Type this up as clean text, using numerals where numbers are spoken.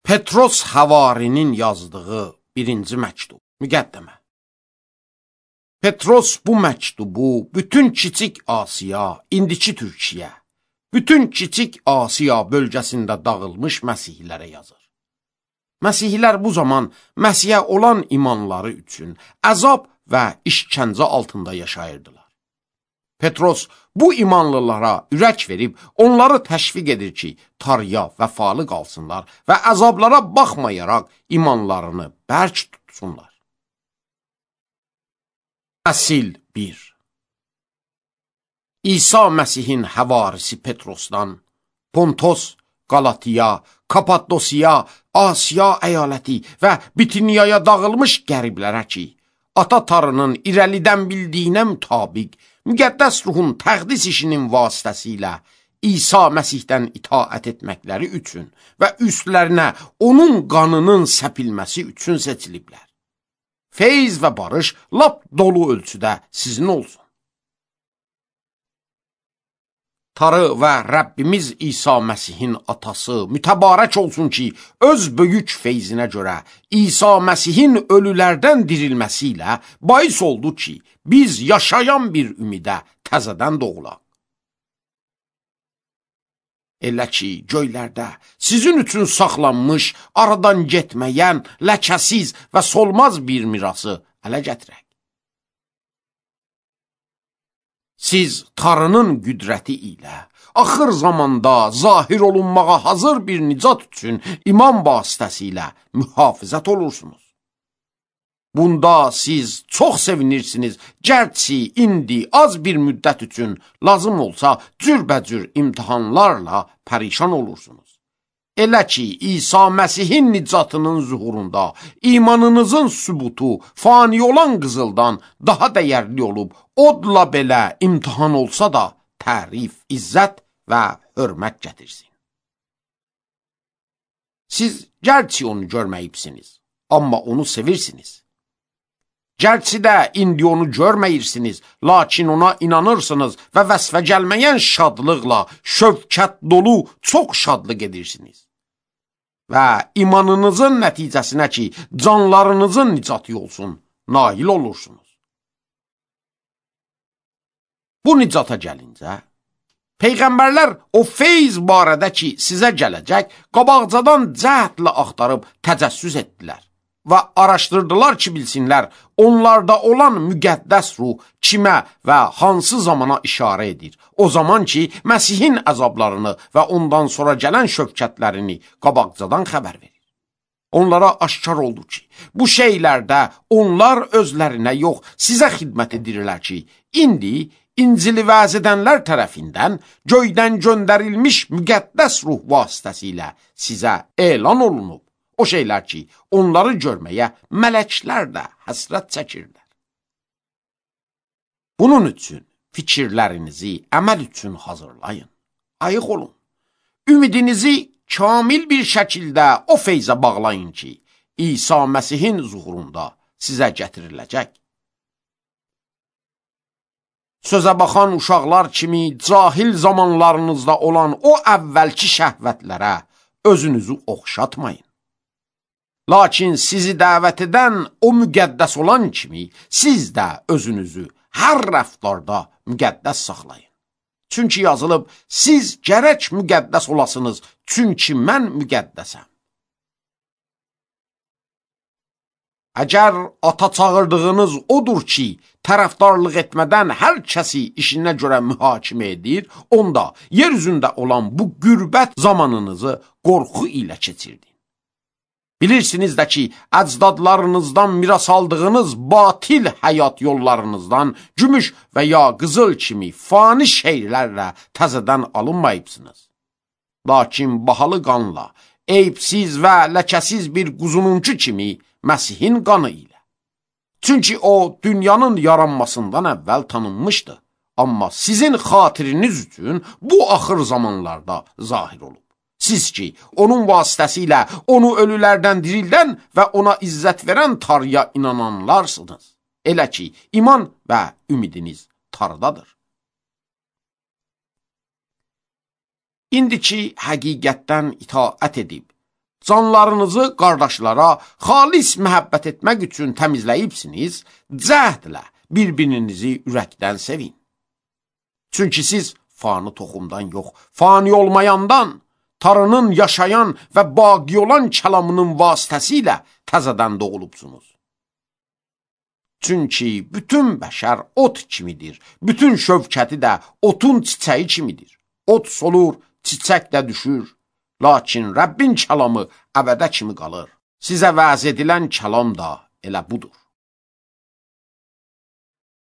Petros Havarinin yazdığı birinci məktub, müqəddimə. Petros bu məktubu bütün Kiçik Asiya, indiki Türkiyə, bütün Kiçik Asiya bölgəsində dağılmış məsihlərə yazır. Məsihlər bu zaman Məsihə olan imanları üçün əzab və işgəncə altında yaşayırdılar. Petros bu imanlılara ürək verib, onları təşviq edir ki, tarıya, vəfalı qalsınlar və əzablara baxmayaraq imanlarını bərk tutsunlar. Fəsil 1. İsa Məsihin həvarisi Petrosdan, Pontos, Qalatiya, Kapadosiya, Asiya əyaləti və Bitiniyaya dağılmış qəriblərə ki, ata tarının irəlidən bildiyinə mütabiq, müqəddəs ruhun təqdis işinin vasitəsilə İsa Məsihdən itaət etməkləri üçün və üstlərinə onun qanının səpilməsi üçün seçiliblər. Feyz və barış lap dolu ölçüdə sizin olsun. Tarı və Rəbbimiz İsa Məsihin atası mütəbarək olsun ki, öz böyük feyzinə görə İsa Məsihin ölülərdən dirilməsi ilə bais oldu ki, biz yaşayan bir ümidə təzədən doğulaq. Elə ki, göylərdə sizin üçün saxlanmış, aradan getməyən, ləkəsiz və solmaz bir mirası ələ gətirək. Siz tarının qüdrəti ilə axır zamanda zahir olunmağa hazır bir nicat üçün iman vasitəsilə mühafizət olursunuz. Bunda siz çox sevinirsiniz, gərçi indi az bir müddət üçün lazım olsa cürbəcür imtihanlarla pərişan olursunuz. Elə ki, İsa Məsihin nicatının zuhurunda imanınızın sübutu fani olan qızıldan daha dəyərli olub, odla belə imtihan olsa da tərif, izzət və hörmət gətirsin. Siz gərçi onu görməyibsiniz, amma onu sevirsiniz. Gərçi də indi onu görməyirsiniz, lakin ona inanırsınız və vəsfə gəlməyən şadlıqla, şövkət dolu çox şadlıq edirsiniz. Və imanınızın nəticəsinə ki, canlarınızın nicatı olsun, nail olursunuz. Bu nicata gəlincə, Peyğəmbərlər o feyz barədə ki, sizə gələcək, qabaqcadan cəhdlə axtarıb təcəssüs etdilər və araşdırdılar ki, bilsinlər, onlarda olan müqəddəs ruh kimə və hansı zamana işarə edir. O zaman ki, Məsihin əzablarını və ondan sonra gələn şövkətlərini qabaqcadan xəbər verir. Onlara aşkar oldu ki, bu şeylərdə onlar özlərinə yox, sizə xidmət edirlər ki, indi İncili vəz edənlər tərəfindən göydən göndərilmiş müqəddəs ruh vasitəsilə sizə elan olunub. O şeylər ki, onları görməyə mələklər də həsrət çəkirlər. Bunun üçün fikirlərinizi əməl üçün hazırlayın, ayıq olun. Ümidinizi kamil bir şəkildə o feyzə bağlayın ki, İsa Məsihin zuhurunda sizə gətiriləcək. Sözə baxan uşaqlar kimi cahil zamanlarınızda olan o əvvəlki şəhvətlərə özünüzü oxşatmayın. Lakin sizi dəvət edən o müqəddəs olan kimi, siz də özünüzü hər rəftarda müqəddəs saxlayın. Çünki yazılıb, siz gərək müqəddəs olasınız, çünki mən müqəddəsəm. Əgər ata çağırdığınız odur ki, tərəfdarlıq etmədən hər kəsi işinə görə mühakimə edir, onda yer üzündə olan bu qürbət zamanınızı qorxu ilə keçirdin. Bilirsiniz də ki, əcdadlarınızdan miras aldığınız batil həyat yollarınızdan gümüş və ya qızıl kimi fani şeylərlə təzədən alınmayıbsınız. Lakin bahalı qanla, eyibsiz və ləkəsiz bir quzununcu kimi Məsihin qanı ilə. Çünki o, dünyanın yaranmasından əvvəl tanınmışdı. Amma sizin xatiriniz üçün bu axır zamanlarda zahir olub. Siz ki, onun vasitəsilə onu ölülərdən dirildən və ona izzət verən tarıya inananlarsınız. Elə ki, iman və ümidiniz tarıdadır. İndiki həqiqətdən itaət edib, canlarınızı qardaşlara xalis məhəbbət etmək üçün təmizləyibsiniz, cəhdlə bir-birinizi ürəkdən sevin. Çünki siz fani toxumdan yox, fani olmayandan, Tanrının yaşayan və baqi olan kəlamının vasitəsilə təzədən doğulubsunuz. Çünki bütün bəşər ot kimidir, bütün şövkəti də otun çiçəyi kimidir. Ot solur, çiçək də düşür, lakin Rəbbin kəlamı əbədə kimi qalır. Sizə vəz edilən kəlam da elə budur.